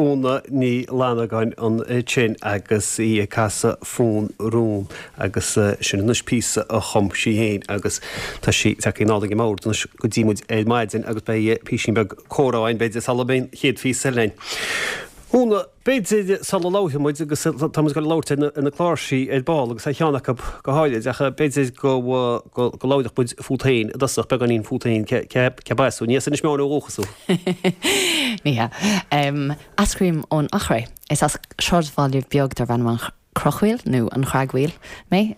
Úna Ní Fhlannagáin ansin agus í ag casadh Fonn Rún agus sin anois píosa a chum sí féin agus tá sí tagtha anall ag an mbord anois go dtí muid ar maidin agus beidh písín beag comhrá againn b'fhéidir sula mbeidh an chéad phíosa eile againn. Úna, b'fhéidir sula labhróidh muid agus tá muid ag dul a labhairt ar na cláirsí ar ball agus ar cheann acu go háirid ach b'fhéidir go go labhródh muid fút féin i dtosach, beagáinín fút féin, cé as thú? Ní as Inis Meáin ó dhúchas thú. Ní hea. Eascraím ón Eachréidh. Is as sráidbhaile beag darb ainm an Chrochmhaoil, nó an Chreagmhaoil, mé,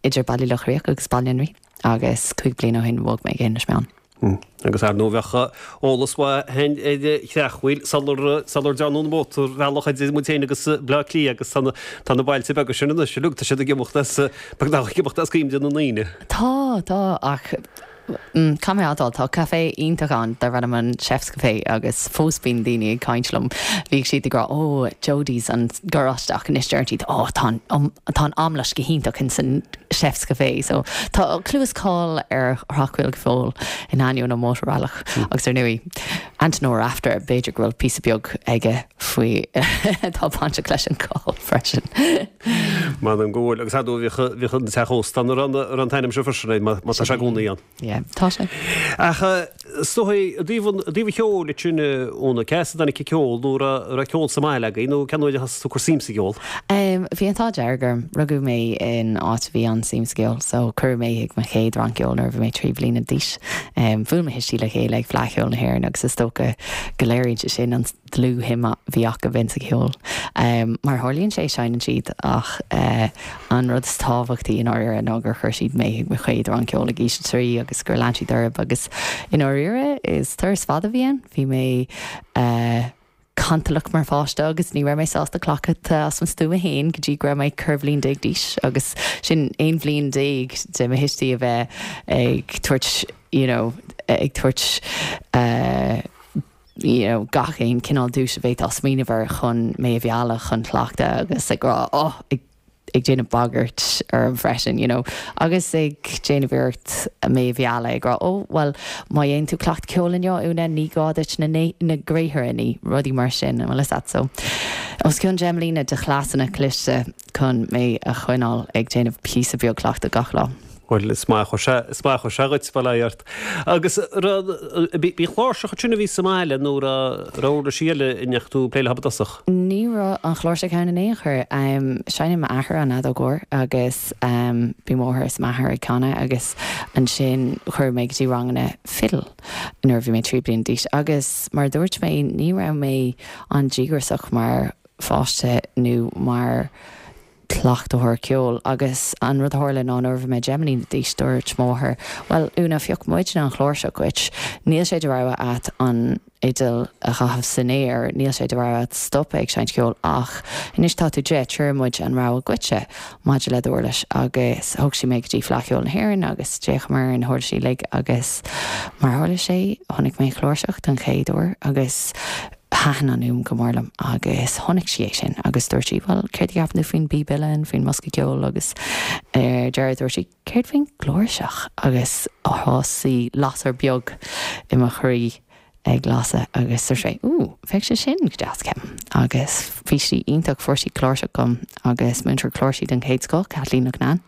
idir Baile Locha Riach agus Baile an Rí, agus 5 bliana ó shin bhog mé go hInis Meáin. Agus ar ndóigh bheadh eolas mhaith againn ar an Chreachmhaoil sular sular dearnadh an mótarbhealach idir muid féin agus Bleá Cliath agus tá na tá na bailte beaga sin anois uilig, tá siad ag imeacht as beagnach ag imeacht as cuimhne na ndaoine. Tá, tá, ach Caithfidh mé a admháil, tá caifé iontach ann darb ainm an Chef's Café agus fós bíonn daoine ag caint liom. Bhíodh siad ag rá oh Jodie's an garáiste ach anois deireann siad oh tá an tá an aimlis go hiontach in san Chef's Café. So tá clú is cáil ar Chreachmhaoil go fóill in ainneoin an mhótarbhealach agus ar ndóigh Anton Ó Rafter b'fhéidir go bhfuil píosa beag aige faoi atá bainteach leis an gcáil freisin. M'anam go bhfuil, agus ar ndóigh bhíodh, bhíodh an teach ósta ann a raibh, a raibh an t-ainm seo freisin air, má, má tá sé i gcónaí ann. Yeah, tá sé. Ach is dóigh, i dtaobh an, i dtaobh an cheoil ansin, Úna, cé as a dtáinig an ceol nó raibh, raibh ceol sa mbaile agaibh nó cén uair a thosaigh tú ag cur suim sa gceol? Bhí an t-ádh dearg orm, rugadh mé in áit a bhí an-suim sa gceol, so cuireadh mé chuig mo chéad rang ceoil nuair a bhí mé 3 bliana d'aois. Bhuail mo thuistí le chéile ag Fleadh Cheoil na hÉireann agus is dócha go léiríonn sé sin an dlúthshuim a bhí acu insa cheol. Mar a tharlaíonn sé, seinneann siad ach an rud is tábhachtaí i ndáiríre ná gur chuir siad mé chuig mo chéad rang ceoil ag aois a trí agus gur lean siad orthu agus i ndáiríre is turas fada a bhí ann. Bhí mé cantalach mar pháiste agus ní raibh mé sásta cleachtadh as mo stuaim féin go dtí go raibh mé 14 bhliain d'aois agus sin 11 bhliain de mo thuistí a bheith ag tabhairt you know ag tabhairt you know, gach aon cineál duais a bhféadfá smaoineamh air chun mé a mhealladh chun cleachtadh agus ag rá oh, ag, ag déanamh bagairt orm freisin, you know, agus ag déanamh iarracht mé a mhealladh ag rá oh, bhuel, má dhéanann tú cleachtadh ceoil inniu, Úna, ní gá duit na, na gréithre a ní, rudaí mar sin, bhfuil fhios a'd, so, os cionn 10 mbliana de chleasanna cliste chun mé a choinneáil ag déanamh píosa beag cleachtadh gach lá. Bhuel, is maith a chuir sé, is maith a chuir sé dhuit, bail ó Dhia ort. Agus raibh, b'í an chláirseach ansin a bhí sa mbaile nó raibh, raibh uirlisí eile a ndeachaigh tú ag plé leo i dtosach? Ní raibh an chláirseach ann in aon chor. Seinneann m'athair an fheadóg mhór agus bhí mo mháthair is m'athair ag canadh agus ansin cuireadh mé go dtí ranganna fiddle nuair a bhí mé 3 bliana d'aois agus mar a dúirt mé ní raibh mé an-díograiseach mar pháiste nó mar cleachtóir ceoil agus an rud a tharla ná nuair a bhí mé 10 mbliana d'aois dúirt mo mháthair bhuel Úna phioc muidne an chláirseach dhuit, níl sé de rogha a't an fhidil a chaitheamh san aer, níl sé de rogha a't stopadh ag seinnt ceoil ach anois tá tú 10, tabharfaidh muid an rogha dhuitse maidir le d'uirlis agus thug sí mé go dtí Fleadh Cheoil na hÉireann agus d'fhéachamar ar na huirlisí uilig agus mar a tharla sé chonaic mé an chláirseach don chéad uair agus Thaitin an fhuaim go mór liom agus chonaic sí é sin agus dúirt sí, bhuel, céard a cheapann tú faoin bpíb uilleann, faoin mbosca ceoil agus ar deireadh dúirt sí, céard faoin gcláirseach? Agus thosaigh lasair beag i mo chroí ag lasadh agus dúirt mé, ooh, bheadh sé sin go deas, ceapaim. Agus bhí sí iontach, fuair sí cláirseach dom agus múinteoir cláirsí den chéad scoth, Kathleen Loughnane,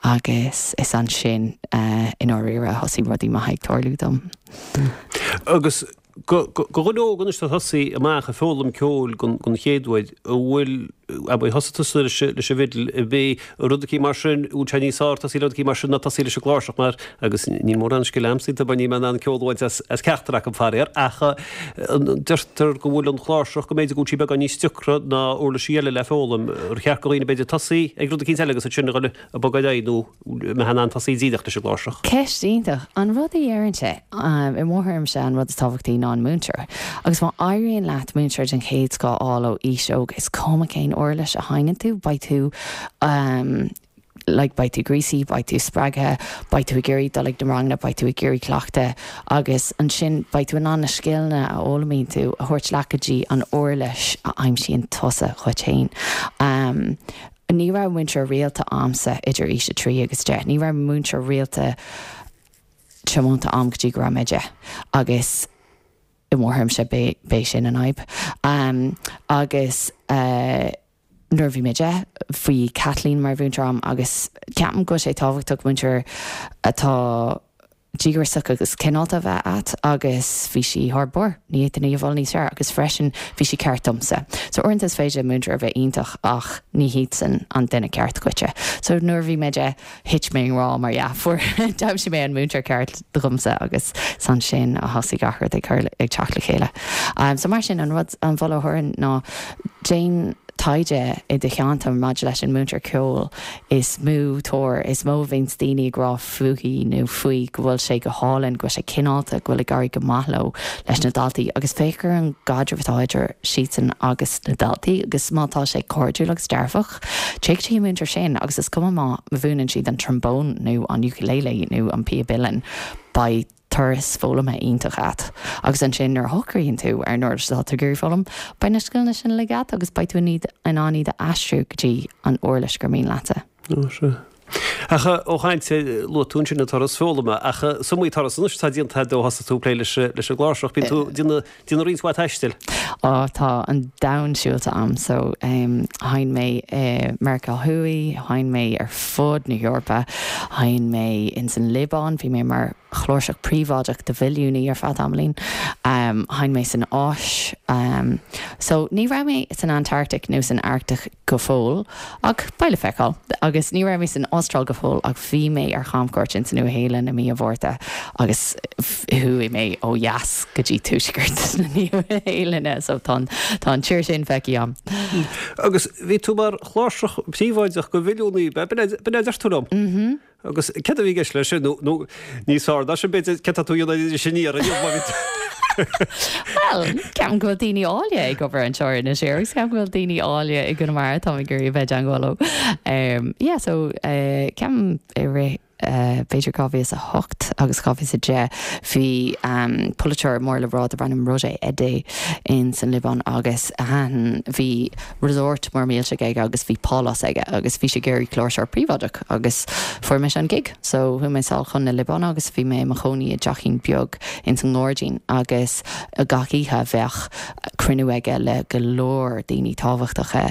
agus is ansin i ndáiríre a thosaigh rudaí maithe ag tarlú dom. Agus Do dhuine óg anois atá ag tosaí amach ag foghlaim ceoil don chéad uair, an bhfuil, abair, thosaigh tusa leis an bhfidil, ab é rud eicínt mar sin, an bhfuil sé níos fearr tosaí le rud eicínt mar sin ná tosaí leis an gcláirseach mar, agus níl mórán scil a'msa iontu mar níl mé in ann ceol a bhaint as ceachtar acu faraor, ach deirtear go bhfuil an chláirseach, go mb'fhéidir go bhfuil sí beagán níos deacra ná uirlisí eile le foghlaim. Ar cheart do dhaoine b'fhéidir tosaí ag rud eicínt eile agus ansin a dhul ag bogadh ar aghaidh nó mbeifeá in ann tosaí díreach leis an gcláirseach. Ceist iontach. An rud a deirimse, i mo thuairimse an rud is tábhachtaí ná an múinteoir. Agus má éiríonn leat múinteoir den chéad scoth a fháil ó aois óg, is cuma cén uirlis a sheinneann tú, beidh tú like beidh tú gríosaithe, beidh tú spreagtha, beidh tú ag iarraidh dul ag na ranganna, beidh tú ag iarraidh cleachtadh agus ansin beidh tú in ann na scileanna a fhoghlaimíonn tú a thabhairt leat go dtí an uirlis a aimsíonn tusa dhuit féin. Ní raibh múinteoir rialta a'msa idir aois 3 agus 10. Ní raibh múinteoir rialta tiomanta a'm go dtí go raibh mé 10. Agus. I mo thuairimse b'é sin an fhadhb. Agus nuair a bhí mé 10, bhí Kathleen mar mhúinteoir a'm agus ceapaim go bhfuil sé tábhachtach múinteoir atá díograiseach agus cineálta a bheith a'at agus bhí sí thar barr, ní fhéadfainn í a mholadh níos fearr agus freisin bhí sí ceart domsa. So uaireanta is féidir le múinteoir a bheith iontach ach ní hiadsan an duine ceart dhuitse. So nuair a bhí mé 10, thit mé i ngrá mar dhea. Fuair, d'aimsigh mé an múinteoir ceart dhomsa agus is ansin a thosaigh gach rud ag cur, ag teacht le chéile. So mar sin, an rud, an mholadh a thabharfainn ná déan taighde i do cheantar maidir leis an múinteoir ceoil is mó tóir, is mó a bhíonns daoine ag rá fúithi nó faoi go bhfuil sé go hálainn, go bhfuil sé cineálta, go bhfuil ag éirí go maith leo, leis na daltaí agus féach ar an gcaidreamh atá idir siadsan agus na daltaí agus má tá sé cairdiúil agus dearfach. Téigh go dtí an múinteoir sin agus is cuma má mhúineann siad an trombón nó an ukulele nó an píob uilleann, beidh turas foghlamtha iontach agat. Agus ansin nuair a shocraíonn tú ar an uirlis atá tú ag iarraidh foghlaim, beidh na scileanna sin uilig agat agus beidh tú in ann iad a aistriú go dtí an uirlis gur mian leatsa. Ó, sea. Ach ó chaint, luaigh tú ansin an turas foghlama, ach is iomaí turas anois atá déanta agat ó thosaigh tú ag plé leis an gcláirseach. Bíonn tú ag déanamh roinnt mhaith taistil. Á, tá an domhan siúlta a'm. So, sheinn mé i Meiriceá Thuaidh, sheinn mé ar fud na hEorpa, sheinn mé ins an Liobáin, bhí mé mar chláirseach príobháideach do mhilliúnaí ar feadh tamaillín, sheinn mé san Áis. So, ní raibh mé san Antarctic nó san Arctic go fóill, ach beidh le feiceáil. Agus ní raibh mé san Astráil go fóill ach bhí mé ar chamchuairt ins an Nua-Shéalainn i mí an Mhárta agus chuaigh mé ó dheas go dtí tuaisceart na Nua-Shéalainne so tá an, tá an tír sin feicthe a'm. Agus bhí tú mar chláirseach príobháideach do mhilliúnaí, b'in é, b'in é a deir tú liom? Mm-hmm. Agus céard a bhí i gceist leis sin? Nó, nó níos fearr ná sin, b'fhéidir, céard tá tú a dhéanamh ar Inis Oírr inniu, má bhí tú. Bhuel, ceapaim go bhfuil daoine áille ag obair anseo ar Inis Oírr agus ceapaim go bhfuil daoine áille i gConamara, táim ag iarraidh a bheith i dteangmháil leo. Yeah, so, ceapaim i rith, b'fhéidir 2008 agus 2010, bhí polaiteoir mór le rá darb ainm Roger Eddé in san Liobáin agus bhí resort mór millteach aige agus bhí pálás aige agus bhí sé ag iarraidh cláirseoir príobháideach agus fuair mise an gig. So chuaigh mé sall chun na Liobáine agus bhí mé i mo chónaí i dteachín beag ins an ngairdín agus gach oíche bheadh cruinniú aige le go leor daoine tábhachtacha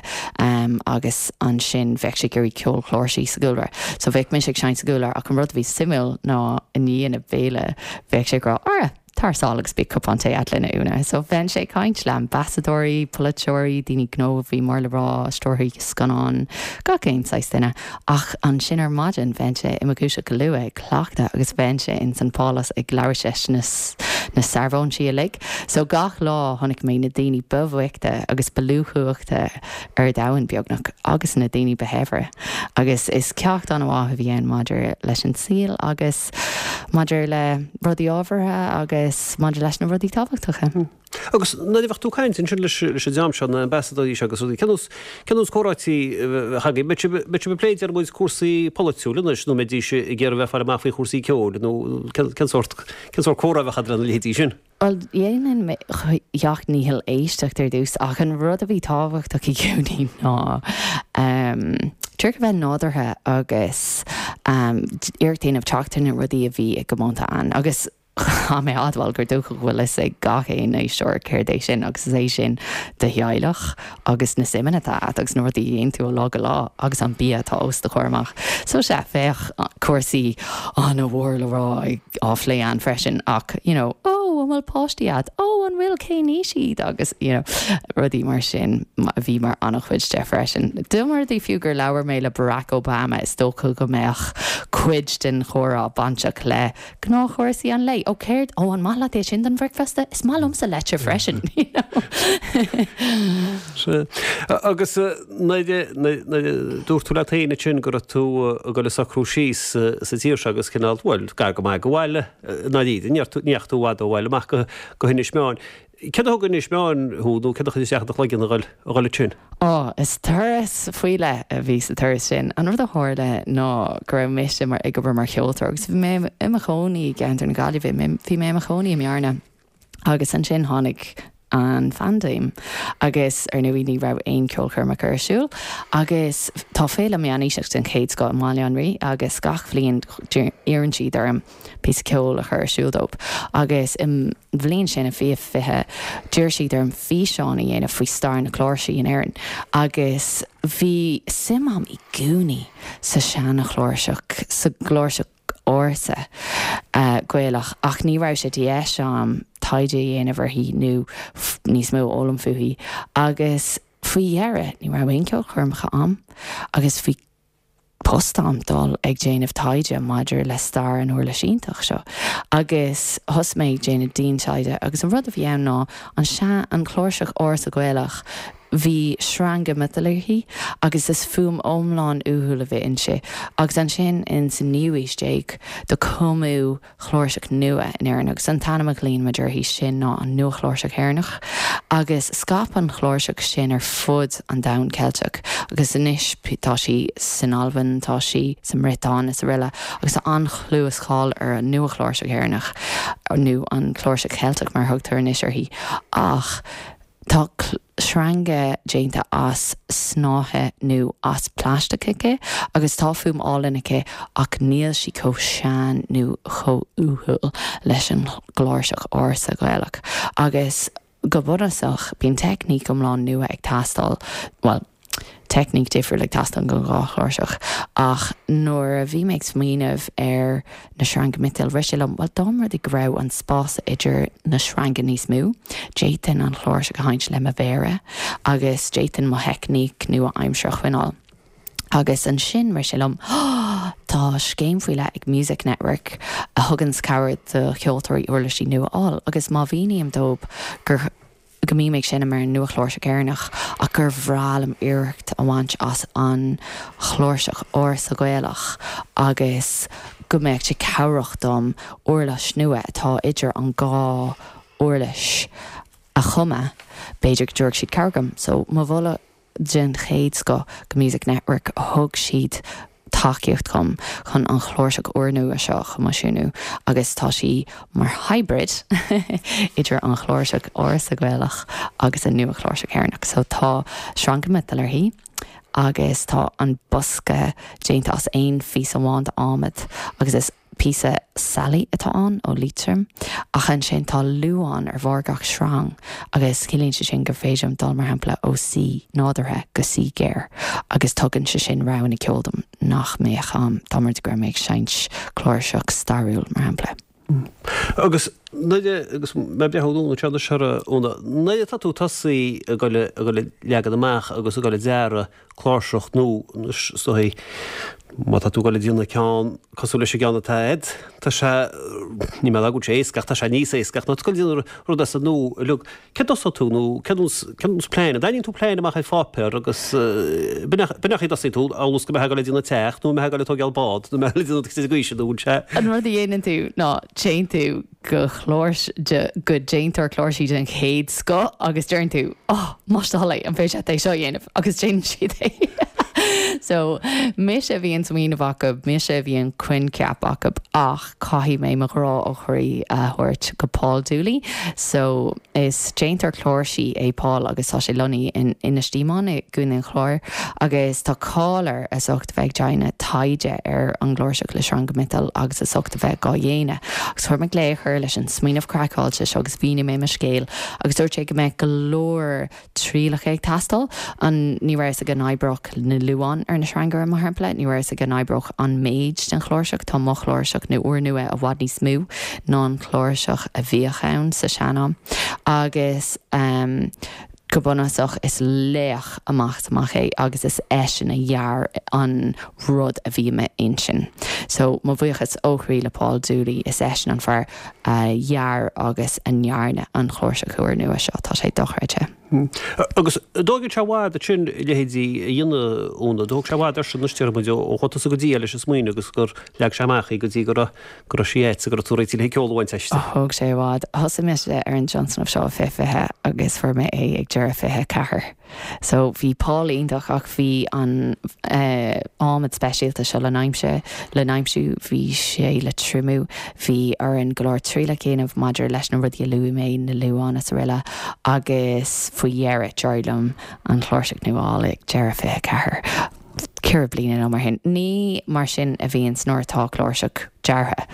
agus ansin bheadh sé ag iarraidh ceol cláirsí sa gcúlra. So bheadh mise ag seinnt sa gcúlra ach an rud a bhí suimiúil ná i ndiaidh na béile bheadh sé ag rá Ara! Tar sall agus bíodh cupán tae a't linn, a Úna. So bheinnse ag caint le ambasadóirí, polaiteoirí, daoine gnó a bhí mór le rá, stiúrthóirí scannán, gach aon saghas duine. Ach ansin ar maidin bheinnse i mo dhúiseacht go luath ag cleachtadh agus bheinnse ins an phálás ag labhairt leis na na searbhóintí uilig. So gach lá chonaic mé na daoine ba bhoichte agus ba lú cumhachta ar domhan, beagnach, agus na daoine ba shaibhre. Agus is ceacht an-mhaith a bhí ann maidir leis an saol agus. maidir le rudaí ábhartha agus maidir leis na rudaí tábhachtacha. Agus nuair a bheadh tú ag caint ansin leis an dream seo, na ambasadóirí seo agus rudaí, cén nós, cén nós comhráití a bheadh agaibh? Mbeadh sibh, mbeadh sibh ag plé deir muid cúrsaí polaitiúil anois nó mbeidís ag iarraidh bheith ag fáil amach faoi chúrsaí ceoil nó cén, cén sórt, cén sórt comhrá a bheadh agat lena leithéidí sin? Bhuel, dhéanainn mo sheacht ndícheall éisteacht ar dtús, ach an rud a bhí tábhachtach i gcónaí ná díreach a bheith nádúrtha agus iarracht a dhéanamh teacht ar na rudaí a bhí i gcomónta ann. Agus chaith mé a admháil gur dócha go bhfuil fhios ag gach aon éisteoir céard é sin, agus is é sin do theaghlach agus na suimeanna atá agat agus na rudaí a dhéanann tú ó lá go lá agus an bia atá os do chomhair amach. So sea, bheadh cúrsaí an-mhór le rá á phlé ann freisin ach you know, oh an bhfuil páistí agat? Oh an bhfuil cén aois iad? agus you know, rudaí mar sin a bhí mar an-chuid de freisin. Dá mba rud é fiú gur labhair mé le Barack Obama is dócha go mbeadh cuid den chomhrá bainteach le Gnáthchúrsaí an lae. Ó céard, ó an maith leat é sin don bhricfeasta? Is maith liomsa leite freisin, you know. Sea. Agus nuair a, nuair a dúirt tú leat féin ansin go raibh tú ag dul a socrú síos sa tír seo agus cineál, bhuel, gar go maith go bhaile, i ndáiríre, ní dheachaigh tú i bhfad ó bhaile amach go, go hInis Meáin. Céard a thug go Inis Meáin thú nó céard a chuir isteach i do chloigeann a dhul ansin? Ó, is turas faoi leith a bhí sa turas sin. An rud a tharla ná go raibh mise mar, ag obair mar cheoltóir agus bhí mé i mo chónaí i gceantar na Gaillimhe, bhí mé i mo chónaí i mBearna agus ansin tháinig. an phaindéim agus ar ndóigh ní raibh aon ceolchoirmeacha ar siúl agus tá féile meánaoiseach den chéad scoth i mBaile an Rí agus gach bhliain iarrann siad orm píosa ceoil a chur ar siúl dóibh agus i mbliain sin i 2020 d'iarr siad orm físeán a dhéanamh faoi stair na cláirsí in Éirinn agus bhí suim a'm i gcónaí sa seana-chláirseach, sa gcláirseach ársa Gaelach ach ní raibh sé de dheis a'm taighde a dhéanamh uirthi nó níos mó a fhoghlaim fúithi agus faoi dheireadh ní raibh aon ceolchoirmeacha a'm agus bhí post a'm dul ag déanamh taighde maidir le stair an uirlis iontach seo agus thosaigh mé ag déanamh dian-taighde agus an rud a bhí ann ná an sea an chláirseach ársa Gaelach Bhí sreanga miotail uirthi agus is fuaim iomlán uathúil a bhí inti. Agus ansin in sa naoú aois déag do cumadh chláirseach nua in Éirinn agus an t-ainm a ghlaonn muid uirthi sin ná an Nua-Chláirseach Éireannach. Agus scaip an chláirseach sin ar fud an domhain Ceilteach agus anois tá sí san Albain, tá sí sa mBriotáin is aroile agus tá an-chlú is cáil ar an Nua-Chláirseach Éireannach nó an Chláirseach Cheilteach mar a thugtar anois uirthi. Ach Tá sreanga déanta as snáithe nó as plaisteach aici agus tá fuaim álainn aici ach níl sí chomh sean nó chomh uathúil leis an gcláirseach ársa Ghaelach. Agus go bunúsach bíonn teicníc iomlán nua ag teastáil, bhuel, teicníc difriúil ag teastáil don dhá chláirseach. Ach nuair a bhí mé ag smaoineamh ar na sreanga miotail, rith sé liom, bhuel, dá mba rud é go raibh an spás idir na sreanga níos mó, d'fhéadfainn an chláirseach a sheinnt le mo mhéara agus d'fhéadfainn mo theicníc nua-aimseartha a choinneáil. Agus ansin rith sé liom, tá scéim faoi leith ag Music Network a thuganns cabhair do cheoltóirí uirlisí nua a fháil agus má mhíním dóibh gur go mbím ag seinm ar an nua-chláirseach Éireannach ach gur bhreá liom oidhreacht a bhaint as an chláirseach ársa Ghaelach agus go mbeadh sé cabhrach dom uirlis nua atá idir an dhá uirlis a chumadh, b'fhéidir go dtabharfadh siad cabhair dom. So, mo mholadh. den chéad scoth go Music Network, thug siad tacaíocht dhom chun an chláirseach úrnua seo a choimisiúnú agus tá sí mar hybrid idir an chláirseach ársa Ghaelach agus an nua-chláirseach Éireannach. So tá sreanga miotail uirthi agus tá an bosca déanta as aon phíosa amháin d'adhmad agus is Píosa sailí atá ann ó Liatroim, ach ansin tá luán ar bharr gach sreang agus ciallaíonn sé sin gur féidir liom dul, mar shampla, ó C nádúrtha go C géar agus tugann sé sin roghanna ceoil dom nach mbeadh a'm dá mba rud é go raibh mé ag seinnt cláirseach stairiúil, mar shampla. Agus nuair a, agus mé ag breathnú anonn anseo anois a Úna, nuair atá tú tosaí ag dul ag dul ag leagan amach agus ag dul ag dearadh cláirseach nó anois is dóigh má tá tú ag dul ag déanamh ceann cosúil leis an gceann atá agat, tá sé, níl mé ag rá go bhfuil sé éasca ach tá sé níos éasca ach nuair atá tú ag dul ag déanamh rud as an nua uilig, cén dtosóidh tú nó cén nós, cén nós plean, an dtarraingíonn tú plean amach ar pháipéar agus b'in é, b'in é an chaoi a dtosaíonn tú, amhail is go mbeifeá ag dul ag déanamh teach nó mbeifeá ag dul ag tógáil bád nó mbeifeá ag dul ag déanamh rud ar bith nó bhfuil sé. An rud a dhéanann tú ná téann tú go chlárs, go déantóir cláirsí den chéad scoth agus deireann tú, oh, más do thoil é, an féidir leat é seo a dhéanamh? Agus déanann siad é. So, mise a bhí an smaoineamh acu, mise a bhí an coincheap acu ach caithfidh mé mo ghrá ó chroí a thabhairt go Paul Dooley. So, is déantóir cláirsí é Paul agus tá sé lonnaithe in Inis Díomáin i gContae an Chláir agus tá cáil air as ucht a bheith ag déanamh taighde ar an gcláirseach le sreanga miotail agus as ucht a bheith dhá dhéanamh. Agus chuir mé glaoch air leis an smaoineamh craiceáilte seo agus mhínigh mé mo scéal agus dúirt sé go mbeadh go leor trialacha ag teastáil. An, ní raibh a fhios aige an oibreodh na luáin ar na sreanga, mar shampla. Ní raibh a fhios aige an oibreodh an méid den chláirseach. Tá mo chláirseach nó úrnua i bhfad níos mó ná an chláirseach a bhíodh ann sa sean-am. Agus go bunúsach is laoch amach is amach é agus is eisean a dhear an rud a bhí i m'intinn. So, mo bhuíochas ó chroí le Paul Dooley, is eisean an fear a dhear agus a ndearna an chláirseach úrnua seo. Tá sé dochreidte. Agus an dtógann sé i bhfad ansin a leithéidí a dhéanamh, Úna? An dtóg sé i bhfad airsean anois déarfaidh muid ó chuaigh tusa go dtí é leis an smaoineamh agus gur leag sé amach í go dtí go raibh go raibh sí agat go raibh tú réitithe le ceol a bhaint aisti? Thóg sé i bhfad. Thosaigh mise ar an tionscnamh seo i 2020 agus fuair mé é ag deireadh 24. So bhí Paul iontach ach bhí an adhmad speisialta seo le n-aimsiú, le n-aimsiú, bhí sé le triomú, bhí orainn go leor trialach a dhéanamh maidir leis na rudaí a luaigh mé, na liúáin is araile agus faoi dheireadh d'éirigh liom an chláirseach nua a fháil ag deireadh 24, ceithre bliana nó mar sin. Ní mar sin a bhíonns nuair atá cláirseach deartha.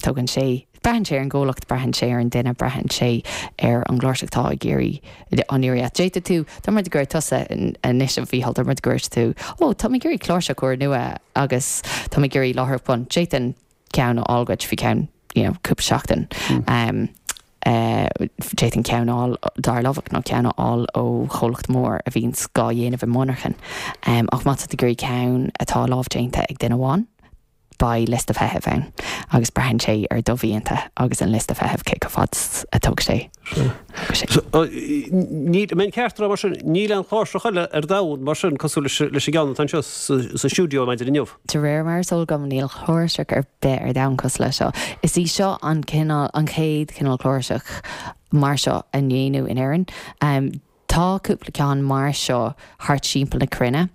Tógann sé. Braitheann sé ar an gcomhlacht, braitheann sé ar an duine, braitheann sé ar an gcláirseach atá ag iarraidh, á n-iarraidh. D'fhéadfadh tú, dá mba rud go raibh tusa anois a Mhícheál, dá mba rud go raibh tú, ó, tá mé ag iarraidh cláirseach úrnua agus tá mé ag iarraidh láithreach bonn, d'fhéadfainn ceann a fháil dhuit faoi cheann, you know, cúpla seachtain. D'fhéadfainn ceann a fháil ó Dara Lovick nó ceann a fháil ó chomhlacht mór a bhíonns dhá dhéanamh i monarchan. Ach má tá tú ag iarraidh ceann atá lámhdéanta ag duine amháin, beidh liosta feithimh ann agus braitheann sé ar do mhianta agus an liosta feithimh cé chomh fada is a thóg sé. Níl, an mbeinn ceart a rá mar sin, níl aon chláirseach eile ar domhan mar sin cosúil leis an gceann atá anseo sa stiúideo ar maidin inniu. De réir mar is eol dom níl cláirseach ar bith ar domhan cosúil leis seo. Is í seo an cineál, an chéad chineál cláirseach mar seo a déanadh in Éirinn. Tá cúpla ceann mar seo thart timpeall na cruinne,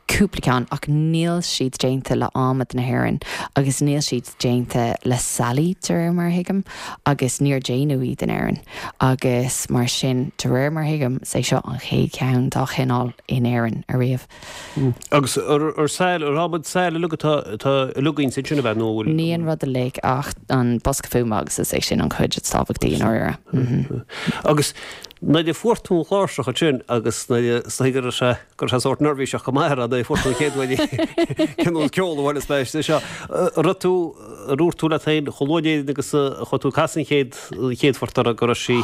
cúpla ceann, ach níl siad déanta le adhmad na hÉireann agus níl siad déanta le sailí, de réir mar a thuigim, agus níor déanadh iad in Éirinn. Agus mar sin, de réir mar a thuigim, is é seo an chéad cheann dá chineál in Éirinn ariamh. Agus ar sail, ar adhmad sail uilig atá, atá uilig inti ansin, ab ea, nó bhfuil. Ní an rud uilig ach an bosca fuaime agus is é sin an chuid is tábhachtaí i ndáiríre. Agus nuair a fuair tú an chláirseach ansin agus nuair a, is dóigh go raibh sé, go raibh sé sórt neirbhíseach go maith ar nuair a fuair tú an chéad uair í, cén nós ceol a bhain is meas é seo. An raibh tú, ar dhúirt tú leat féin chomh luath in Éirinn agus a chuaigh tú ag casadh an chéad, an chéad phort uirthi go raibh sí.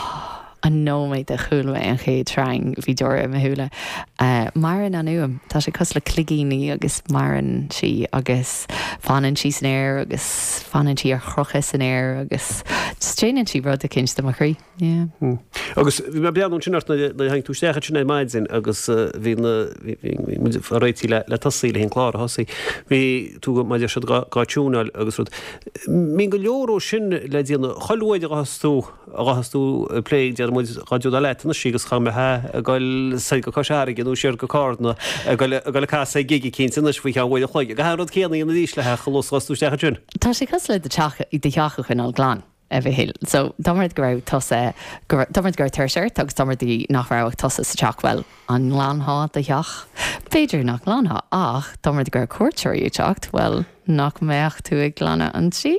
An nóiméad a chuala mé an chéad sreang, bhí deora i mo shúile. Maireann an fhuaim. Tá sé cosúil le cloigíní agus maireann sí agus fanann sí san aer agus fanann sí ar chrochadh san aer agus just déanann sí rud eicínt do mo chroí. Yeah. Agus bhí mé ag breathnú ansin ort nuair a tháinig tú isteach ansin ar maidin agus bhí na, bhí muid ag réiteach le le tosaí, le an clár a thosaí. Bhí tú mar a deir siad dhá tiúnáil agus rud. Bíonn go leor ó sin le déanamh. Chuile uair a ghabhfas tú a ghabhfas tú ag plé, déarfaidh muid, dhá dtiúnáil leat anois agus cha mbeifeá ag goil soir go Cois Fharraige nó siar go Cárna ag goil ag goil ag casadh ag gig eicínt anois faoi cheann uair an chloig. An é an rud céanna a dhéanamh arís le theach a luas tú isteach ansin. Tá sé cosúil le do teach, do theach a choinneáil glan, a Mhichíl. So, dá mba rud go raibh tusa, go raibh, dá mba rud go raibh tuirse ort agus dá mba rud nach raibh ach tusa sa teach, bhuel, an nglanfá do theach? B'fhéidir nach nglanfá, ach dá mba rud go raibh cuairteoirí ag teacht, bhuel, nach mbeadh tú ag glanadh an tí?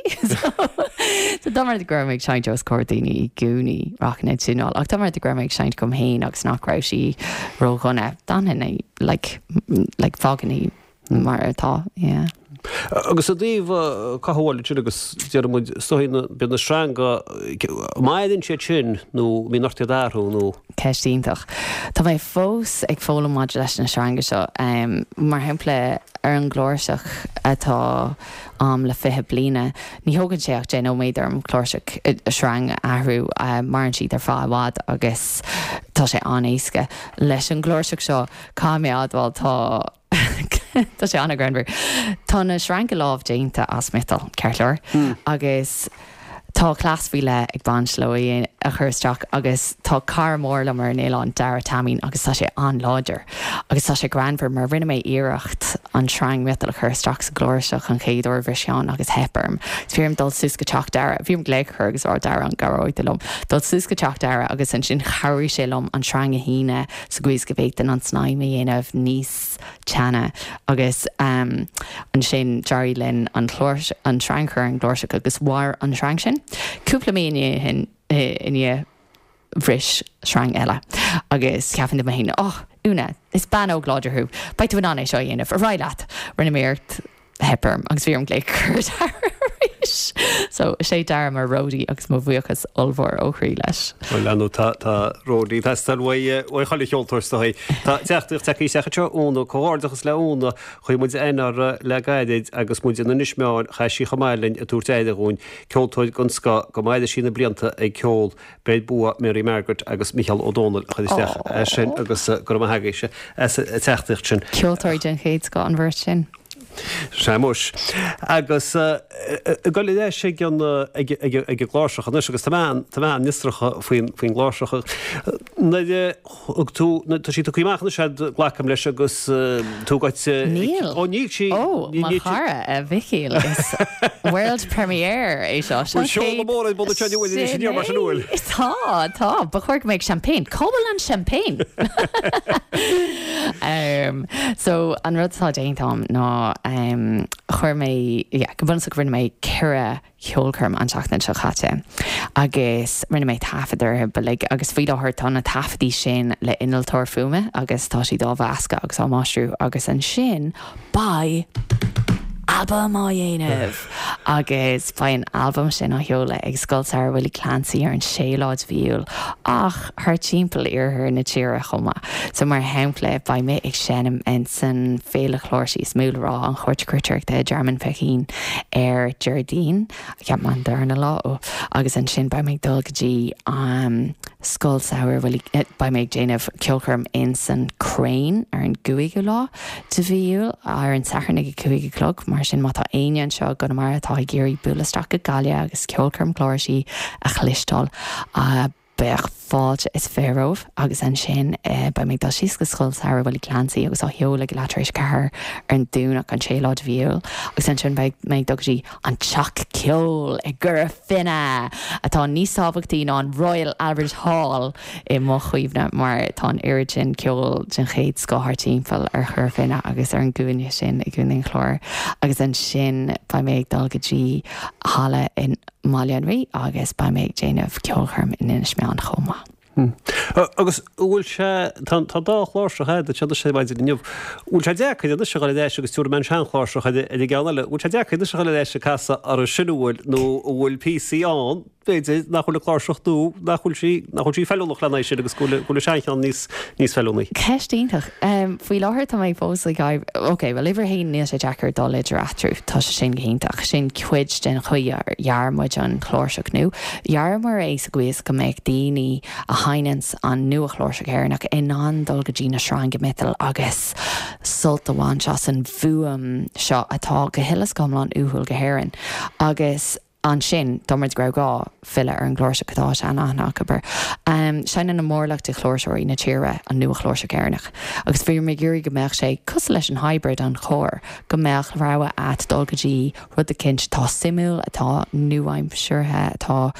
So dá mba rud go raibh mé ag seinnt os comhair daoine i gcónaí, rachainn ag tiúnáil. Ach dá mba rud go raibh mé ag seinnt dom féin agus nach raibh sí ródhona, d'fhanfainn í, like, like, fágfainn í mar atá, yeah. Agus i dtaobh cothabháil ansin agus déarfaidh muid, is dóigh na, bíonn na sreanga, maireann siad sin nó mbíonn ort iad a athrú nó? Ceist iontach. Tá mé fós ag foghlaim maidir leis na sreanga seo. Mar shampla, ar an gcláirseach atá a'm le 20 bliana, ní thógann sé ach 10 nóiméad orm cláirseach, sreang a athrú. Maireann siad ar feadh i bhfad agus tá sé an-éasca. Leis an gcláirseach seo, caithfidh mé a admháil, tá. Tá sé an-ghreannmhar. Tá na sreanga lámh déanta as miotal, ceart go leor, agus tá cleas faoi leith ag baint leo a chur isteach agus tá cara mór liom ar an oileán, Dara Taimín, agus tá sé an-láidir agus tá sé greannmhar mar rinne mé iarracht an sreang miotail a chur isteach sa gcláirseach an chéad uair, bhris ceann agus theip orm. Bhí orm dul suas go teach Dara, bhí orm glaoch a chur agus rá Dara an gcabhróidh tú liom dul suas go teach Dara agus ansin chabhraigh sé liom an sreang a shíneadh sa gcaoi is go bhféadfainn an tsnaidhm a dhéanamh níos teanna agus ansin d'éirigh linn an an sreang a chur ar an gcláirseach agus mhair an sreang sin. Cúpla mí ina dhiaidh sin, ina dhiaidh, bhris sreang eile agus cheapfainn dom féin, oh, Úna, is bean óg láidir thú, beidh tú in ann é seo a dhéanamh, ar aghaidh leat! Rinne mé iarracht. Theip orm agus bhí orm glaoch a chur ar Dara arís. So, is é Dara mo roadie agus mo bhuíochas ollmhór ó chroí leis. Bhuel, ar ndóigh, tá, tá roadie ag teastáil uaidh, uaidh chuile cheoltóir is dóigh. Tá teachtaireacht tagtha isteach anseo, Úna, comhghairdeachas le Úna, chuaigh muid aithne uirthi le gairid agus muid in Inis Meáin, chaith sí chomh maith linn ag tabhairt aire dhúinn, ceoltóir den scoth, go maire sí na blianta ag ceol. Beir bua Mary Margaret agus Micheál Ó Dónaill a chuir isteach é sin agus go raibh maith agaibhse as an teachtaireacht sin. Ceoltóirí den chéad scoth an bheirt sin. Sea muis. Agus ag dul ar ais ag an ag ag an gcláirseach anois agus tá mé tá mé an-fhiosrach faoin faoin gcláirseach. Nuair a thug tú tá sí tugtha amach anois a'd glacaim leis agus tú goite Níl. Ó níl sí Ó, mo chara, a Mhicíl, is world premiere é seo. Seo Bhfuil seoladh mór ar bun anseo inniu anois inniu mar sin an bhfuil? Tá, tá. Ba chóir go mbeadh champagne. Cá bhfuil an champagne? So, an rud atá déanta a'm ná chuir mé, yeah, go bunúsach rinne mé 4 cheolchoirm an tseachtain seo caite agus rinne mé taifead orthu uilig agus faoi láthair tá na taifeadaí sin le innealtóir fuaime agus tá siad á mheascadh agus á máistriú agus ansin beidh albam á dhéanamh agus beidh an albam sin á sheoladh ag Scoil Samhraidh Willie Clancy ar an séú lá de mhí Iúil ach thart timpeall iarthar na tíre chomh maith. So mar shampla beidh mé ag seinm ins an féile chláirsí is mó le rá, an Chúirt Chruitireachta i dTearmann Feichín ar Déardaoin, cheap mé an darna lá, ó, agus ansin beidh mé ag dul go dtí an Scoil Samhraidh Willie, beidh mé ag déanamh ceolchoirm ins an Crane ar an gcúigiú lá. de mhí Iúil, ar an Satharn ag a 5 a chlog. Mar sin, má tá éinne anseo i gConamara atá ag iarraidh bualadh isteach go Gaillimh agus ceolchoirm cláirsí a chloisteáil, bheadh fáilte is fearr romhaibh. Agus ansin, beidh mé ag dul síos go Scoil Samhraidh Willie Clancy agus á sheoladh ag leath tar éis a ceathair ar an Domhnach, an séú lá de mhí Iúil. Agus ansin beidh mé ag dul go dtí an Teach Ceoil i gCora Finne, atá níos tábhachtaí ná an Royal Albert Hall i mo chuimhne, mar tá an oiread sin ceoil den chéad scoth thart timpeall ar Chora Finne agus ar an gcúinne sin i gContae an Chláir. Agus ansin beidh mé ag dul go dtí halla i mBaile an Rí agus beidh mé ag déanamh ceolchoirm in Inis Meáin chomh maith. Agus an bhfuil sé, tá an dá chláirseach a'd anseo anois ar maidin inniu, an bhfuil sé deacair anois a dhul ar ais agus tabharfaidh mé an seanchláirseach ar an gceann eile, an bhfuil sé deacair anois a dhul ar ais ag casadh orthu sin an bhfuil nó an bhfuil píosaí ann, b'fhéidir, nach bhfuil an chláirseach nua, nach bhfuil sí, nach bhfuil sí feiliúnach lena aghaidh sin agus go bhfuil, go bhfuil an seancheann níos, níos feiliúnaí. Ceist iontach. Faoi láthair tá mé fós ag oibriú, ok, bhuel uimhir a haon níl sé deacair dul idir eatarthu, tá sé sin go hiontach. Sin cuid den chaoi ar dhear muid an chláirseach nua. Dhearamar é sa gcaoi is go mbeadh daoine a sheinneanns an nua-chláirseach Éireannach in ann dul go dtí na sreanga miotail agus sult a bhaint as an bhfuaim seo atá go huile is go hiomlán uathúil go hÉirinn. Agus ansin, dá mba rud go raibh gá, filleadh ar an gcláirseach atá sean-aithne acu air. Seinneann an mórlach de chláirseoirí na tíre an nua-chláirseach Éireannach agus bhí mé ag iarraidh go mbeadh sé cosúil leis an hybrid, an chóir, go mbeadh rogha a'd dul go dtí rud eicínt atá suimiúil, atá nua-aimseartha, atá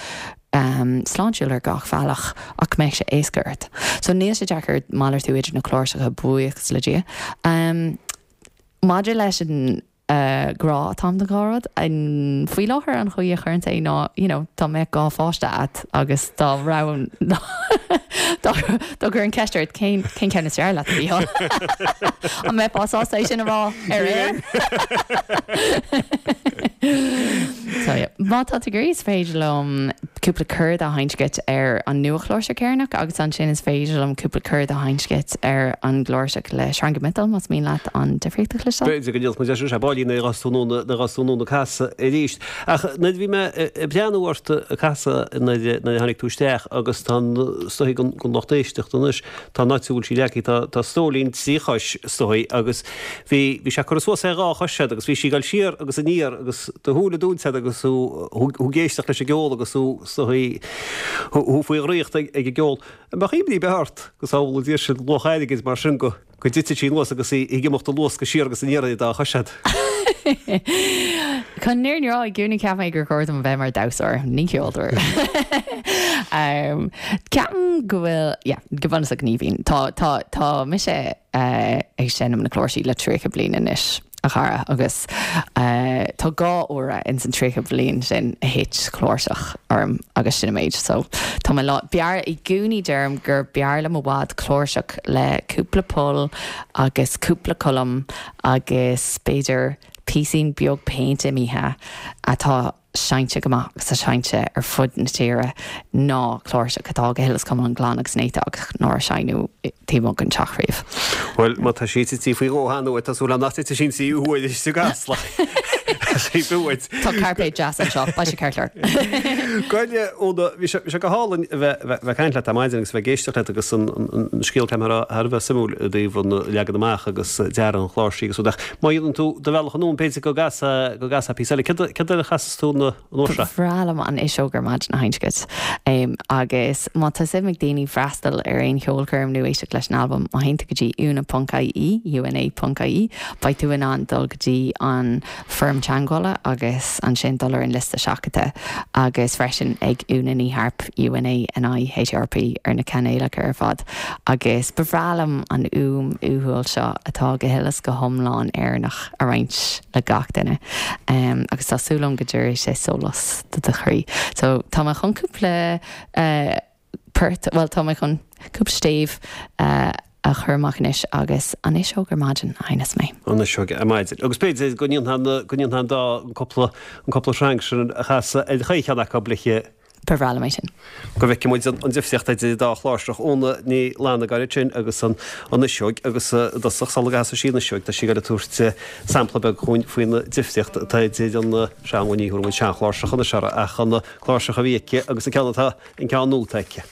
sláintiúil ar gach bhealach ach go mbeadh sé éasca ort. So níl sé deacair malartú idir na cláirseacha, buíochas le Dia. Maidir leis an grá atá a'm don dhá rud, faoi láthair an chaoi a chuirimse é ná you know dá mbeadh dhá pháiste a'd agus dá roghnófá dá gcuirfinn ceist ort cén cén ceann is fearr leat a Mhícheál? An mbeifeá sásta é sin a rá ar aer? So yeah. Má tá tú ag iarraidh is féidir liom cúpla corda a sheinnt duit ar an nua-chláirseach Éireannach agus ansin is féidir liom cúpla corda a sheinnt duit ar an gcláirseach le sreanga miotail más mian leat an difríocht a chloisteáil. B'fhéidir go ndéanfaidh muid é sin, sea, báillín nuair a ghabhfas tú anonn nuair a ghabhfas tú anonn ag casadh arís. Ach nuair a bhí mé ag breathnú ort ag casadh nuair a tháinig tú isteach agus tá an, is dóigh don lucht éisteachta anois, tá an áit a bhfuil sí leagtha, tá, tá stóilín trí chois is dóigh agus bhí, bhí sé curtha suas ar dhá chois a'd agus bhí sí ag dul siar agus aniar agus do shúile dúnta a'd agus thú, thú ag éisteacht leis an gceol agus thú, is dóigh, thú faoi dhraíocht ag an gceol. An mbeadh imní ar bith ort go sábhála Dia sinn luach airgid mar sin go, go dtitfeadh sí anuas agus í ag imeacht de luas go siar agus aniar ar an dá chois a'd? Chun an fhírinne a rá, i gcónaí cheap mé gur chóir dom a bheith mar dhamhsóir, ní ceoltóir. Ceapaim go bhfuil, yeah, go bunúsach ní bhíonn. Tá, tá, tá mise ag seinm na cláirsí le 30 bliain anois, a chara, agus tá dhá uaire ins an 30 bliain sin a thit cláirseach orm agus sin an méid. So, tá mé lá, b'fhearr, i gcónaí deirim gur b'fhearr liom i bhfad cláirseach le cúpla poll agus cúpla colm agus b'fhéidir píosín beag péinte imithe atá seinnte go maith agus tá seinnte ar fud na tíre ná cláirseach atá go huile is go hiomlán glan agus néata ach nár seinneadh taobh amuigh den teach riamh. Bhuel, má tá sí tite faoi dhó cheana uait, tá súil agam nach dtitfidh sí an tríú huair istigh i gCasla. Tá sé uait. Tá cairpéad deas anseo, beidh sé ceart go leor. Gabh i leith, Úna, bhí sé, bhí sé go hálainn a bheith, bheith, bheith ag caint leat ar maidin agus a bheith ag éisteacht leat agus an, an, an scéal ceapaim thar a bheith suimiúil i dtaobh an leagan amach agus dearadh an chláirsí agus rud ach má dhéanann tú do bhealach anonn b'fhéidir go gcasfá, go gcasfá píosa eile. Céard, céard eile a chasfas tú an uair seo? Ba bhreá liom an fhuiseog ar maidin a sheinnt duit. Agus má tá suim ag daoine freastal ar aon cheolchoirm nó éisteacht leis an albam, má théann tú go dtí una.ie, una.ie, beidh tú in ann dul go dtí an foirm teagmhála agus ansin dul ar an liosta seachadta agus freisin ag Úna Ní Harp, UNANIHARP, ar na cainéalacha ar fad. Agus ba bhreá liom an fhuaim uathúil seo atá go huile is go hiomlán Éireannach a roinnt le gach duine. Agus tá súil agam go dtabharfaidh sé sólás do do chroí. So tá mé chun cúpla port, bhuel tá mé chun cúpla stéibh a chur amach anois agus an fhuiseog ar maidin a sheinneas mé. An fhuiseog ar maidin. Agus b'fhéidir go ndéanfá na, go ndéanfá an dá, an cúpla, an cúpla sreang sin a chasadh ar chaon cheann acu le. Ba bhreá liom é sin. Go bhfeicfidh muid an difríocht idir an dá chláirseach, Úna Ní Fhlannagáin ansin agus an fhuiseog agus i dtosach sula gcasfaidh sí an fhuiseog tá sí ag goil ag tabhairt sampla beag dhúinn faoin difríocht atá idir an sean, bhuel ní thabharfaidh muid seanchláirseach anois uirthi ach an cláirseach a bhí aici agus an ceann atá, an ceann nua atá aici.